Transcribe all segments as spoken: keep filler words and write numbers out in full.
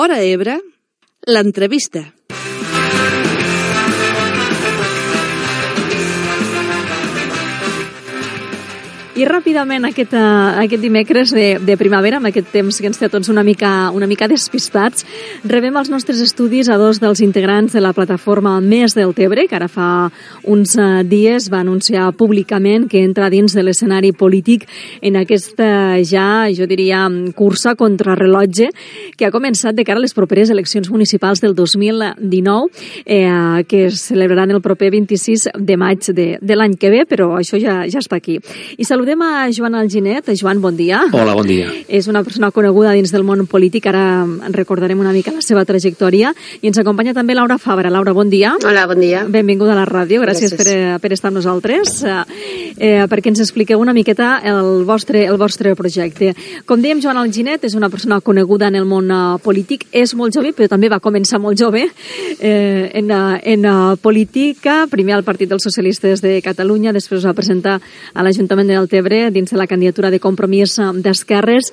Hora Ebre, l'entrevista. I ràpidament aquest, uh, aquest dimecres de, de primavera, amb aquest temps que ens té tots una mica, una mica despistats, rebem als nostres estudis a dos dels integrants de la plataforma Més del Tebre, que ara fa uns uh, dies va anunciar públicament que entra dins de l'escenari polític en aquesta ja, jo diria, cursa contra rellotge que ha començat de cara a les properes eleccions municipals del dos mil dinou, eh, que es celebraran el proper vint-i-sis de maig de, de l'any que ve, però això ja, ja està aquí. I saludem a Joan Alginet. Joan, bon dia. Hola, bon dia. És una persona coneguda dins del món polític, ara en recordarem una mica la seva trajectòria. I ens acompanya també Laura Fabra. Laura, bon dia. Hola, bon dia. Benvinguda a la ràdio, gràcies, gràcies. Per, per estar amb nosaltres, eh, perquè ens expliqueu una miqueta el vostre, el vostre projecte. Com dèiem, Joan Alginet és una persona coneguda en el món polític, és molt jove, però també va començar molt jove eh, en, en política, primer al Partit dels Socialistes de Catalunya, després va presentar a l'Ajuntament de Deltebre dins de la candidatura de Compromís d'Esquerres,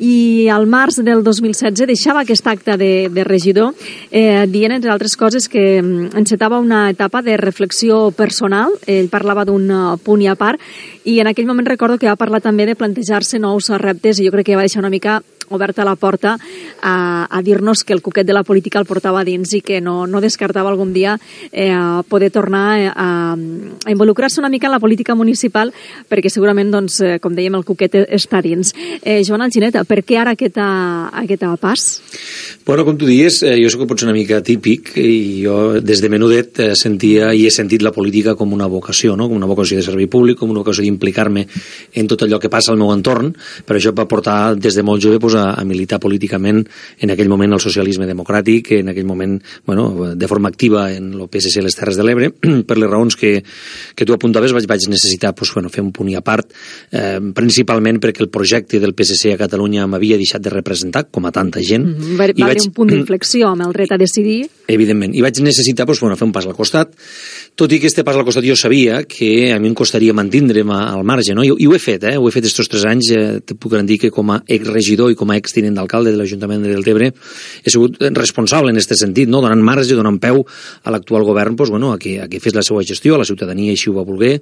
i al març del dos mil setze deixava aquest acte de, de regidor eh, dient, entre altres coses, que encetava una etapa de reflexió personal. Ell parlava d'un punt i a part, i en aquell moment recordo que va parlar també de plantejar-se nous reptes, i jo crec que va deixar una mica oberta la porta a, a dir-nos que el cuquet de la política el portava dins i que no, no descartava algun dia eh, poder tornar a, a involucrar-se una mica en la política municipal, perquè segurament, doncs, eh, com dèiem, el cuquet està dins. Eh, Joan Alginet, per què ara aquest, aquest pas? Bueno, com tu dius, eh, jo soc potser una mica típic, i jo des de menudet eh, sentia i he sentit la política com una vocació, no? Com una vocació de servei públic, com una vocació d'implicar-me en tot allò que passa al meu entorn. Per això em va portar des de molt jove pues, a, a militar políticament en aquell moment el socialisme democràtic, en aquell moment, bueno, de forma activa en el P S C a les Terres de l'Ebre, per les raons que, que tu apuntaves. Vaig, vaig necessitar pues, bueno, fer un punt i a part, eh, principalment perquè el projecte del P S C a Catalunya m'havia deixat de representar, com a tanta gent. Mm-hmm. Va, va haver un punt d'inflexió amb el dret a decidir. Evidentment, i vaig necessitar pues, bueno, fer un pas al costat, tot i que este pas al costat jo sabia que a mi em costaria mantindre'm al marge, no? I, i ho he fet, eh? Ho he fet estos tres anys, eh, te puc dir que com a exregidor i com a extinent d'alcalde de l'Ajuntament de Deltebre he sigut responsable en aquest sentit, no? Donant marge, donant peu a l'actual govern pues, bueno, a, que, a que fes la seva gestió, la ciutadania així ho va voler,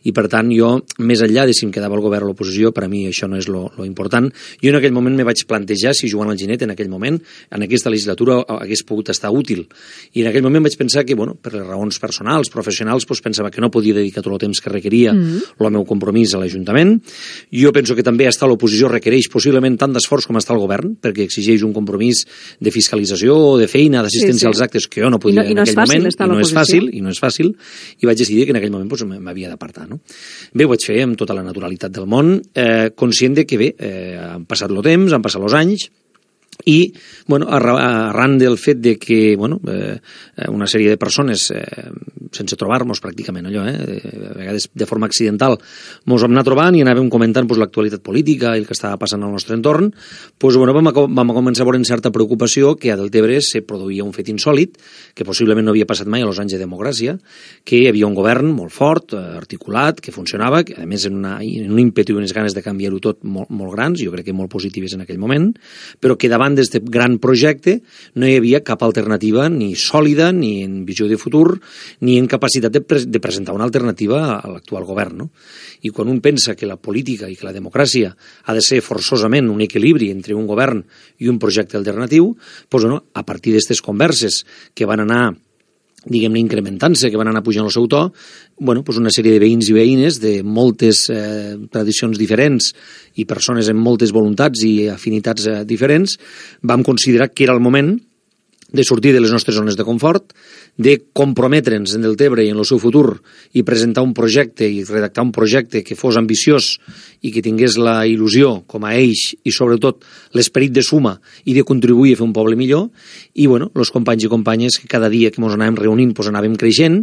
i per tant jo, més enllà de si em quedava el govern o l'oposició, per a mi això no és lo, lo important. Jo en aquell moment me vaig plantejar si Joan Alginet en aquell moment, en aquesta legislatura, hagués pogut estar útil, i en aquell moment vaig pensar que, bueno, per les raons personals, professionals, pues, pensava que no podia dedicar tot el temps que requeria mm-hmm. el meu compromís a l'Ajuntament. Jo penso que també estar a l'oposició requereix possiblement tant d'esforç com està el govern, perquè exigeix un compromís de fiscalització o de feina, d'assistència sí, sí. als actes que jo no podia I no, en aquell moment, i no és fàcil, i no és fàcil, i vaig decidir que en aquell moment pues, m'havia d'apartar. No? Bé, ho vaig fer amb tota la naturalitat del món, eh, conscient de que bé, eh, han passat el temps, han passat els anys, i bueno, arran del fet de que bueno, eh, una sèrie de persones eh, sense trobar-nos pràcticament allò, eh, a vegades de forma accidental mos vam anar trobant i anàvem comentant pues, l'actualitat política i el que estava passant al nostre entorn, pues, bueno, vam, vam començar a veure en certa preocupació que a Deltebre se produïa un fet insòlit que possiblement no havia passat mai a los anys de democràcia, que hi havia un govern molt fort, articulat, que funcionava, que a més en, una, en un ímpetu i unes ganes de canviar-ho tot molt, molt grans, jo crec que molt positives en aquell moment, però que davant d'aquest gran projecte no hi havia cap alternativa ni sòlida, ni en visió de futur, ni en capacitat de, pre de presentar una alternativa a l'actual govern. No? I quan un pensa que la política i que la democràcia ha de ser forçosament un equilibri entre un govern i un projecte alternatiu, doncs, bueno, a partir d'aquestes converses que van anar diguem-ne, incrementant-se, que van anar pujant el seu to, bueno, pues una sèrie de veïns i veïnes de moltes eh, tradicions diferents i persones amb moltes voluntats i afinitats eh, diferents, vam considerar que era el moment de sortir de les nostres zones de confort, de comprometre'ns en Deltebre i en el seu futur i presentar un projecte i redactar un projecte que fos ambiciós i que tingués la il·lusió com a eix i sobretot l'esperit de suma i de contribuir a fer un poble millor. I bueno, els companys i companyes que cada dia que ens anàvem reunint pues, anàvem creixent,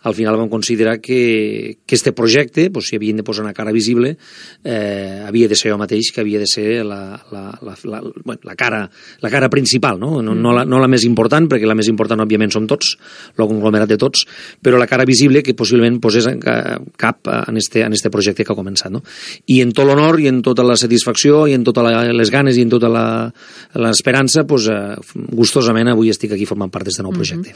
al final vam considerar que, que este projecte, pues, si havien de posar una cara visible, eh, havia de ser jo mateix, que havia de ser la, la, la, la, bueno, la, cara, la cara principal, no, no, no, la, no la més important, perquè la més important òbviament som tots, el conglomerat de tots, però la cara visible que possiblement posés cap en este, en este projecte que ha començat. No? I en tot l'honor i en tota la satisfacció i en totes les ganes i en tota l'esperança, pues, gustosament avui estic aquí formant part d'aquest nou projecte.